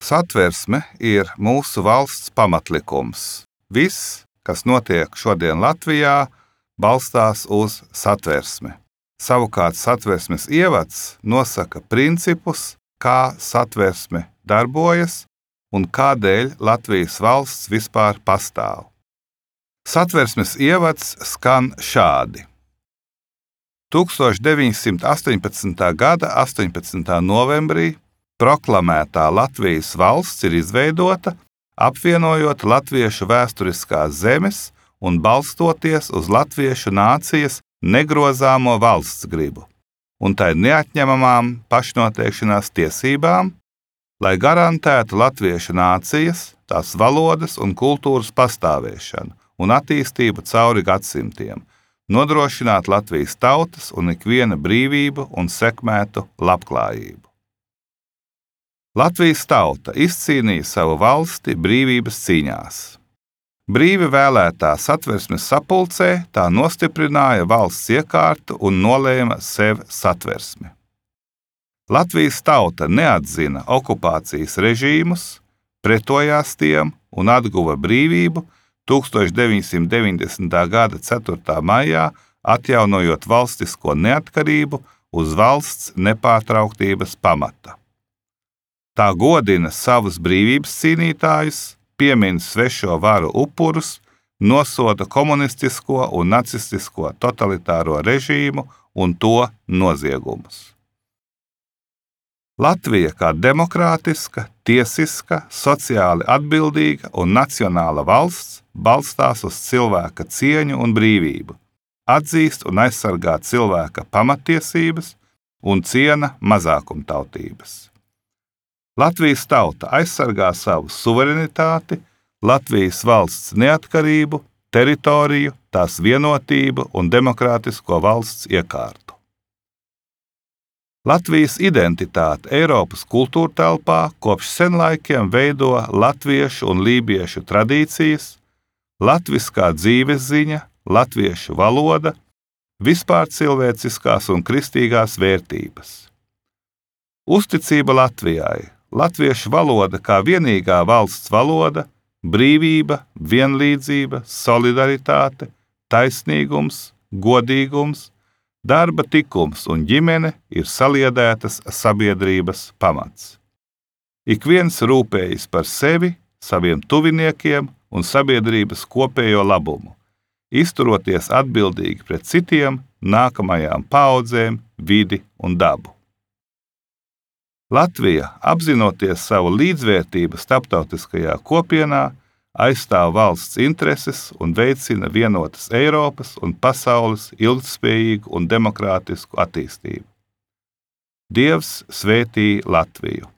Satversme ir mūsu valsts pamatlikums. Viss, kas notiek šodien Latvijā, balstās uz satversmi. Savukārt satversmes ievads nosaka principus, kā satversme darbojas un kādēļ Latvijas valsts vispār pastāv. Satversmes ievads skan šādi. 1918. gada 18. novembrī proklamētā Latvijas valsts ir izveidota, apvienojot latviešu vēsturiskās zemes un balstoties uz latviešu nācijas negrozāmo valsts gribu un tai neatņemamām pašnoteikšanās tiesībām, lai garantētu latviešu nācijas, tās valodas un kultūras pastāvēšanu un attīstību cauri gadsimtiem, nodrošināt Latvijas tautas un ikviena brīvību un sekmētu labklājību. Latvijas tauta izcīnīja savu valsti brīvības cīņās. Brīvi vēlētā satversmes sapulcē tā nostiprināja valsts iekārtu un nolēma sev satversmi. Latvijas tauta neatzina okupācijas režīmus, pretojās tiem un atguva brīvību 1990. gada 4. maijā, atjaunojot valstisko neatkarību uz valsts nepārtrauktības pamata. Tā godina savus brīvības cīnītājus, piemin svešo varu upurus, nosoda komunistisko un nacistisko totalitāro režīmu un to noziegumus. Latvija kā demokrātiska, tiesiska, sociāli atbildīga un nacionāla valsts balstās uz cilvēka cieņu un brīvību, atzīst un aizsargā cilvēka pamatiesības un ciena mazākumtautības. Latvijas tauta aizsargā savu suverenitāti, Latvijas valsts neatkarību, teritoriju, tās vienotību un demokrātisko valsts iekārtu. Latvijas identitāte Eiropas kultūrtelpā kopš senlaikiem veido latviešu un lībiešu tradīcijas, latviskā dzīvesziņa, latviešu valoda, vispār cilvēciskās un kristīgās vērtības. Uzticība Latvijai, latviešu valoda kā vienīgā valsts valoda, brīvība, vienlīdzība, solidaritāte, taisnīgums, godīgums, darba tikums un ģimene ir saliedētas sabiedrības pamats. Ik viens rūpējas par sevi, saviem tuviniekiem un sabiedrības kopējo labumu, izturoties atbildīgi pret citiem, nākamajām paaudzēm, vidi un dabu. Latvija, apzinoties savu līdzvērtību starptautiskajā kopienā, aizstāv valsts intereses un veicina vienotas Eiropas un pasaules ilgtspējīgu un demokrātisku attīstību. Dievs svētī Latviju!